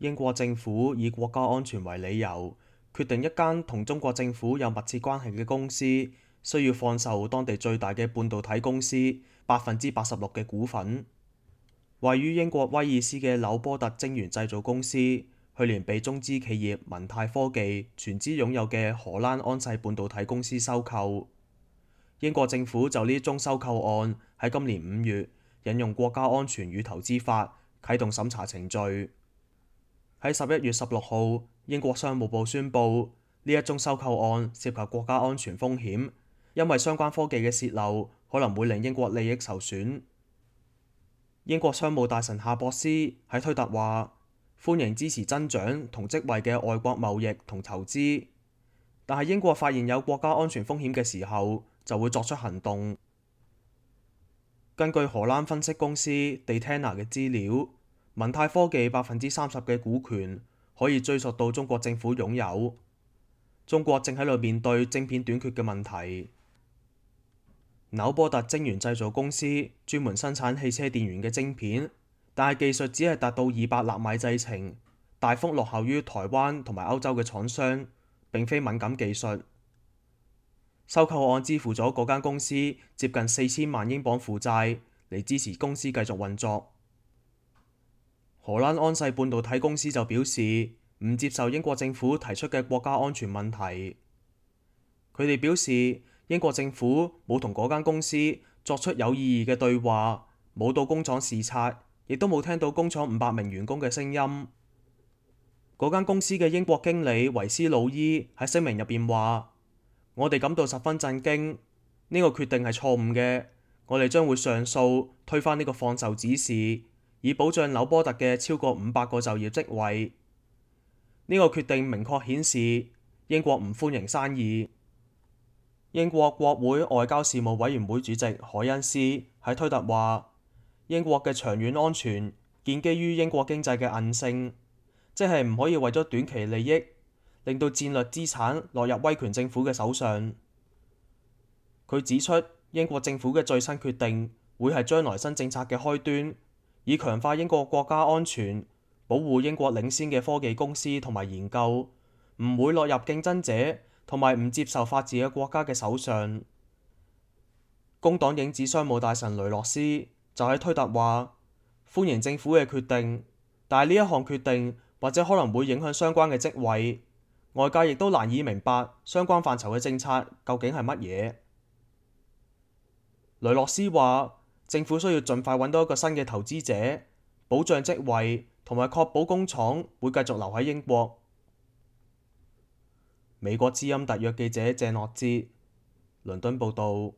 英國政府以國家安全為理由，決定一間同中國政府有密切關係嘅公司需要放售當地最大嘅半導體公司86%嘅股份。位於英國威爾斯嘅紐波特晶圓製造公司，去年被中資企業文泰科技全資擁有嘅荷蘭安世半導體公司收購。英國政府就呢宗收購案喺今年5月引用國家安全與投資法啟動審查程序。喺11月16號，英國商務部宣布呢一宗收購案涉及國家安全風險，因為相關科技嘅洩漏可能會令英國利益受損。英國商務大臣夏博斯喺推特話：歡迎支持增長同職位嘅外國貿易同投資，但係英國發現有國家安全風險嘅時候就會作出行動。根據荷蘭分析公司 Dataina 嘅資料，文泰科技30%嘅股權可以追溯到中國政府擁有。中國正喺度面對晶片短缺嘅問題。紐波特晶圓製造公司專門生產汽車電源嘅晶片，但係技術只係達到200納米製程，大幅落後於台灣同埋歐洲嘅廠商，並非敏感技術。收購案支付咗嗰間公司接近4000萬英鎊負債嚟支持公司繼續運作。荷蘭安世半導體公司就表示唔接受英國政府提出嘅國家安全問題。佢哋表示，英國政府冇同嗰間公司作出有意義嘅對話，冇到工廠視察，亦都冇聽到工廠500名員工嘅聲音。嗰間公司嘅英國經理維斯魯伊喺聲明入邊話：我哋感到十分震驚，呢個決定係錯誤嘅，我哋將會上訴推翻呢個放售指示，以保障紐波特嘅超過500個就業職位。呢個決定明確顯示英國唔歡迎生意。英國國會外交事務委員會主席凱恩斯喺推特話：英國嘅長遠安全建基於英國經濟嘅韌性，即係唔可以為咗短期利益令到戰略資產落入威權政府嘅手上。佢指出，英國政府嘅最新決定會係將來新政策嘅開端，以強化英國國家安全，保護英國領先嘅科技公司同埋研究，唔會落入競爭者同埋唔接受法治嘅國家嘅手上。工黨影子商務大臣雷諾斯就喺推特話：歡迎政府嘅決定，但係呢一項決定或者可能會影響相關嘅職位，外界亦都難以明白相關範疇嘅政策究竟係乜嘢。雷諾斯話：政府需要盡快揾到一個新嘅投資者，保障職位同埋確保工廠會繼續留喺英國。美國之音特約記者謝諾哲，倫敦報導。